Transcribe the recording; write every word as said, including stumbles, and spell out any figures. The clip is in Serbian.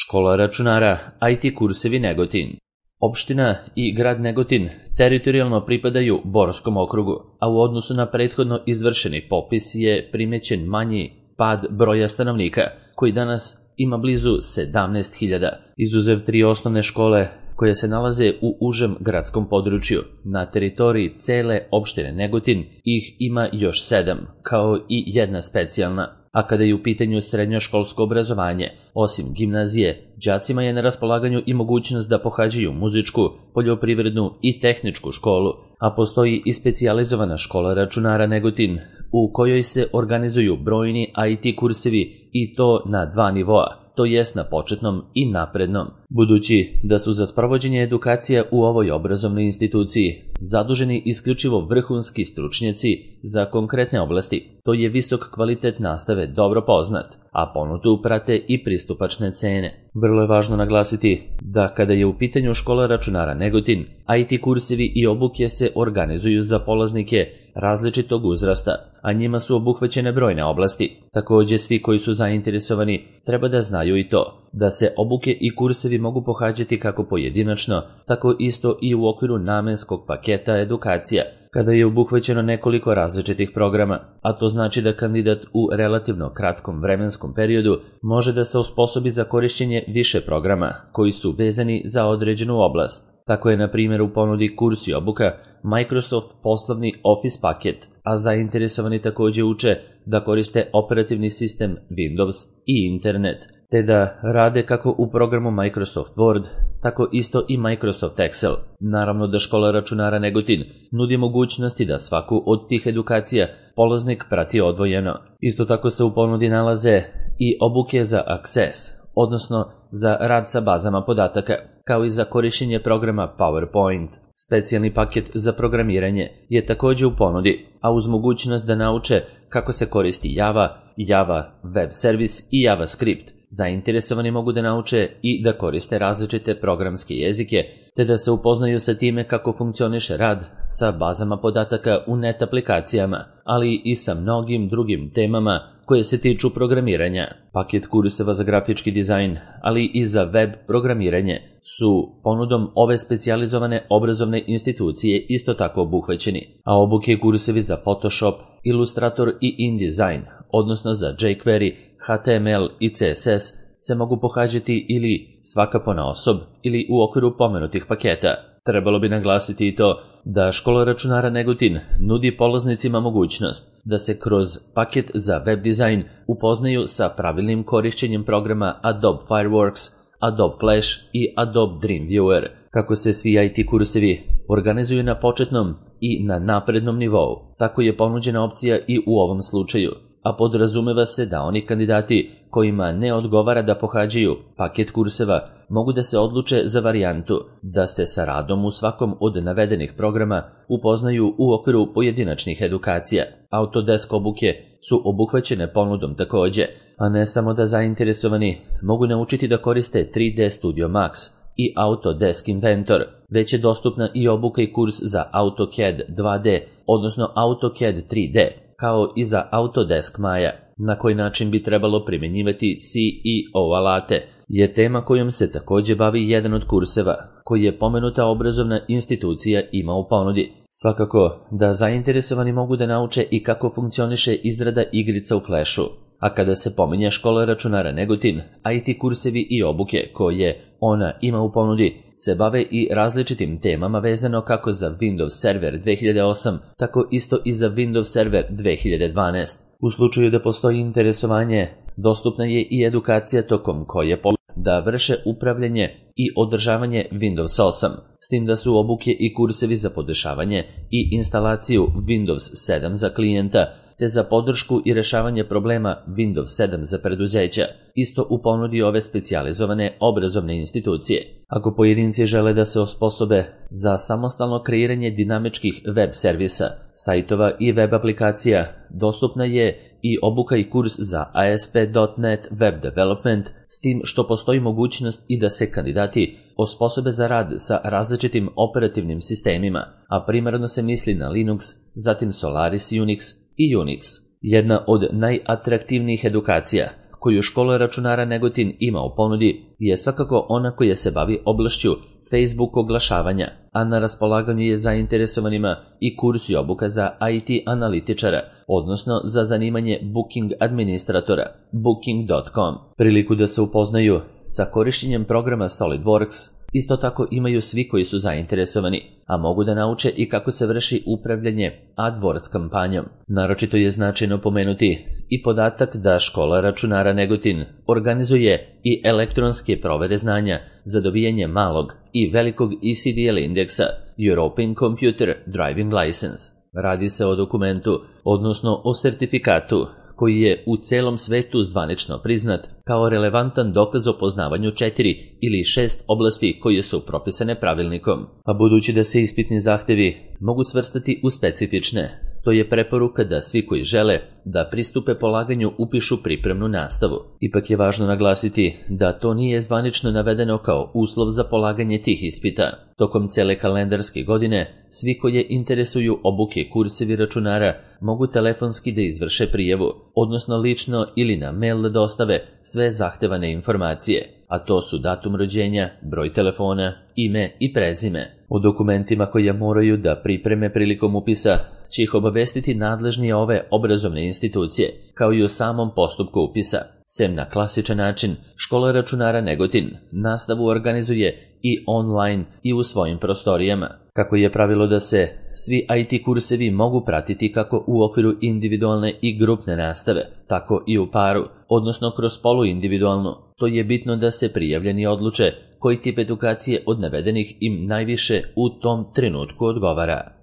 Škola računara, I T kursevi Negotin. Opština i grad Negotin teritorijalno pripadaju Borskom okrugu, a u odnosu na prethodno izvršeni popis je primećen manji pad broja stanovnika, koji danas ima blizu sedamnaest hiljada, izuzev tri osnovne škole koje se nalaze u užem gradskom području. Na teritoriji cele opštine Negotin ih ima još sedam, kao i jedna specijalna. A kada je u pitanju srednjoškolsko obrazovanje, osim gimnazije, đacima je na raspolaganju i mogućnost da pohađaju muzičku, poljoprivrednu i tehničku školu, a postoji i specijalizovana škola računara Negotin, u kojoj se organizuju brojni I T kursevi i to na dva nivoa, to jest na početnom i naprednom. Budući da su za sprovođenje edukacija u ovoj obrazovnoj instituciji zaduženi isključivo vrhunski stručnjaci za konkretne oblasti, to je visok kvalitet nastave dobro poznat, a ponudu prate i pristupačne cene. Vrlo je važno naglasiti da kada je u pitanju škola računara Negotin, I T kursevi i obuke se organizuju za polaznike različitog uzrasta, a njima su obuhvaćene brojne oblasti. Takođe, svi koji su zainteresovani treba da znaju i to, da se obuke i kursevi mogu pohađati kako pojedinačno, tako isto i u okviru namenskog paketa edukacija, kada je obuhvaćeno nekoliko različitih programa, a to znači da kandidat u relativno kratkom vremenskom periodu može da se osposobi za korišćenje više programa koji su vezani za određenu oblast. Tako je, na primjer, u ponudi kurs i obuka Microsoft poslovni Office paket, a zainteresovani takođe uče da koriste operativni sistem Windows i internet, te da rade kako u programu Microsoft Word, tako isto i Microsoft Excel. Naravno da škola računara Negotin nudi mogućnosti da svaku od tih edukacija polaznik prati odvojeno. Isto tako se u ponudi nalaze i obuke za Access, odnosno za rad sa bazama podataka, kao i za korišćenje programa PowerPoint. Specijalni paket za programiranje je takođe u ponudi, a uz mogućnost da nauče kako se koristi Java, Java Web Service i JavaScript, zainteresovani mogu da nauče i da koriste različite programske jezike, te da se upoznaju sa time kako funkcioniše rad sa bazama podataka u net aplikacijama, ali i sa mnogim drugim temama koje se tiču programiranja. Paket kurseva za grafički dizajn, ali i za web programiranje su ponudom ove specijalizovane obrazovne institucije isto tako obuhvaćeni, a obuke i kursevi za Photoshop, Illustrator i InDesign, odnosno za jQuery, H T M L i C S S, se mogu pohađati ili svaka ponaosob ili u okviru pomenutih paketa. Trebalo bi naglasiti i to da škola računara Negotin nudi polaznicima mogućnost da se kroz paket za web dizajn upoznaju sa pravilnim korišćenjem programa Adobe Fireworks, Adobe Flash i Adobe Dreamweaver. Kako se svi I T kursevi organizuju na početnom i na naprednom nivou, tako je ponuđena opcija i u ovom slučaju, a podrazumeva se da oni kandidati kojima ne odgovara da pohađaju paket kurseva mogu da se odluče za varijantu da se sa radom u svakom od navedenih programa upoznaju u okviru pojedinačnih edukacija. Autodesk obuke su obuhvaćene ponudom takođe, a ne samo da zainteresovani mogu naučiti da koriste tri D Studio Max i Autodesk Inventor, već je dostupna i obuka i kurs za AutoCAD dva D, odnosno AutoCAD tri D, kao i za Autodesk Maya. Na koji način bi trebalo primjenjivati C E O alate je tema kojom se takođe bavi jedan od kurseva koji je pomenuta obrazovna institucija ima u ponudi. Svakako da zainteresovani mogu da nauče i kako funkcioniše izrada igrica u Flashu, a kada se pominje škola računara Negotin, I T kursevi i obuke koje ona ima u ponudi se bave i različitim temama vezano kako za Windows Server dve hiljade osam, tako isto i za Windows Server dve hiljade dvanaest. U slučaju da postoji interesovanje, dostupna je i edukacija tokom koje da vrše upravljanje i održavanje Windows osam, s tim da su obuke i kursevi za podešavanje i instalaciju Windows sedam za klijenta, te za podršku i rešavanje problema Windows sedam za preduzeća, isto u ponudi ove specijalizovane obrazovne institucije. Ako pojedinci žele da se osposobe za samostalno kreiranje dinamičkih web servisa, sajtova i web aplikacija, dostupna je i obuka i kurs za A S P dot net Web Development, s tim što postoji mogućnost i da se kandidati osposobe za rad sa različitim operativnim sistemima, a primarno se misli na Linux, zatim Solaris Unix i Unix. Jedna od najatraktivnijih edukacija koju škola računara Negotin ima u ponudi je svakako ona koja se bavi oblašću Facebook oglašavanja, a na raspolaganju je zainteresovanima i kurs i obuka za I T analitičara, odnosno za zanimanje Booking administratora, booking dot com. Priliku da se upoznaju sa korišćenjem programa SolidWorks isto tako imaju svi koji su zainteresovani, a mogu da nauče i kako se vrši upravljanje AdWords kampanjom. Naročito je značajno pomenuti i podatak da škola računara Negotin organizuje i elektronske provere znanja za dobijanje malog i velikog E C D L indeksa European Computer Driving License. Radi se o dokumentu, odnosno o sertifikatu, koji je u celom svetu zvanično priznat kao relevantan dokaz o poznavanju četiri ili šest oblasti koje su propisane pravilnikom. A budući da se ispitni zahtevi mogu svrstati u specifične, to je preporuka da svi koji žele da pristupe polaganju upišu pripremnu nastavu. Ipak je važno naglasiti da to nije zvanično navedeno kao uslov za polaganje tih ispita. Tokom cele kalendarske godine, svi koje interesuju obuke kursevi računara mogu telefonski da izvrše prijavu, odnosno lično ili na mail da dostave sve zahtevane informacije, a to su datum rođenja, broj telefona, ime i prezime. O dokumentima koje moraju da pripreme prilikom upisa će ih obavestiti nadležnije ove obrazovne institucije, kao i o samom postupku upisa. Sem na klasičan način, škola računara Negotin nastavu organizuje i online i u svojim prostorijama. Kako je pravilo da se svi I T kursevi mogu pratiti kako u okviru individualne i grupne nastave, tako i u paru, odnosno kroz poluindividualnu. To je bitno da se prijavljeni odluče koji tip edukacije od navedenih im najviše u tom trenutku odgovara.